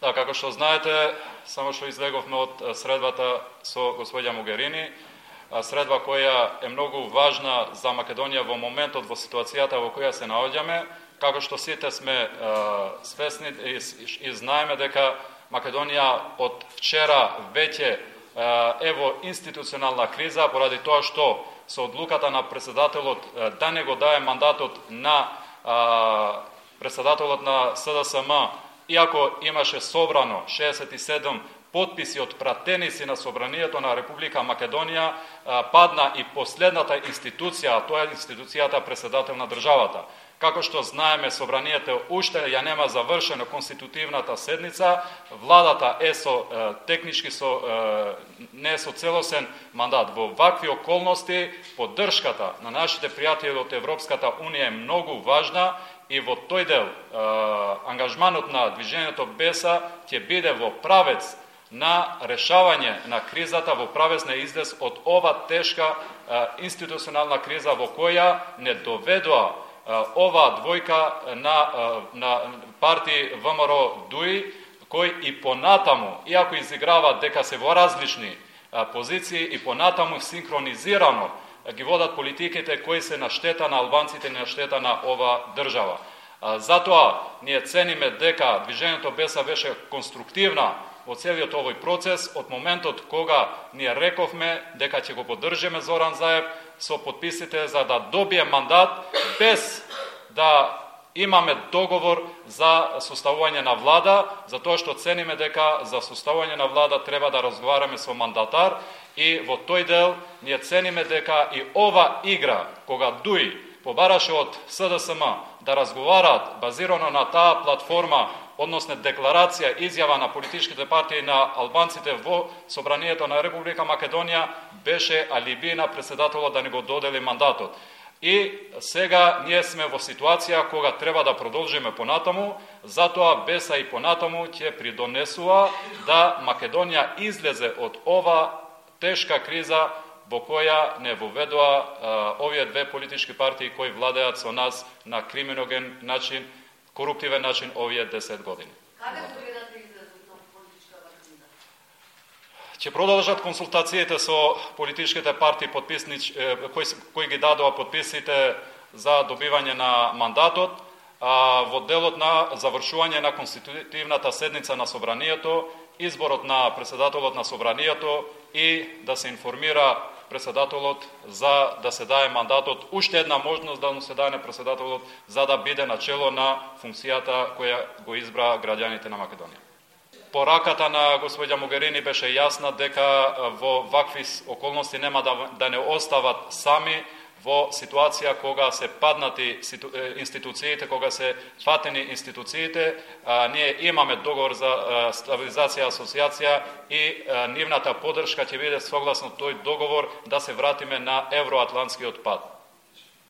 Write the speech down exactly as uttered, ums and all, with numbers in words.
Да, како што знаете, само што излеговме од средбата со господја Могерини, средба која е многу важна за Македонија во моментот, во ситуацијата во која се наоѓаме, како што сите сме свесни и, и знаеме дека Македонија од вчера веќе е во институционална криза поради тоа што со одлуката на претседателот да не го дае мандатот на претседателот на С Д С М, иако имаше собрано шеесет и седум потписи од пратеници на Собранието на Република Македонија, падна и последната институција, а тоа е институцијата претседател на државата. Како што знаеме, Собранието уште ја нема завршено конститутивната седница, владата е со технички со не е со целосен мандат. Во вакви околности поддршката на нашите пријатели од Европската унија е многу важна и во тој дел ангажманот на движењето Беса ќе биде во правец на решавање на кризата, во правец на излез од ова тешка институционална криза во која не доведува ова двојка на, на партии В М Р ДУИ, кој и понатаму, иако изиграва дека се во различни позиции, и понатаму синхронизирано ги водат политиките кои се на штета на албанците и на штета на ова држава. Затоа ние цениме дека движењето Беса беше конструктивна во целиот овој процес од моментот кога ние рековме дека ќе го поддржиме Зоран Заев со подписите за да добие мандат без да имаме договор за составување на влада, затоа што цениме дека за составување на влада треба да разговараме со мандатар и во тој дел ние цениме дека и ова игра, кога ДУИ побараше од С Д С М да разговараат базирано на таа платформа, односно декларација, изјава на политичките партии на албанците во Собранието на Република Македонија, беше алиби на претседателот да не го додели мандатот. И сега ние сме во ситуација кога треба да продолжиме понатаму, затоа Беса и понатаму ќе придонесува да Македонија излезе од ова тешка криза во која не воведува овие две политички партии кои владеат со нас на криминоген начин, коруптивен начин овие десет години. Каде ќе гледате излезот на политичката криза? Ќе продолжат консултациите со политичките партии подписнич кои кои ги дадоа подписите за добивање на мандатот, а во делот на завршување на конститутивната седница на Собранието, изборот на претседателот на Собранието и да се информира претседателот за да се даде мандатот, уште една можност да му се даде претседателот за да биде начело на функцијата која го избра граѓаните на Македонија. Пораката на господја Могерини беше јасна дека во вакви околности нема да, да не остават сами во ситуација кога се паднати институциите, кога се фатени институциите. А, ние имаме договор за а, стабилизација и асоциација и а, нивната поддршка ќе биде согласно тој договор да се вратиме на евроатлантскиот пат.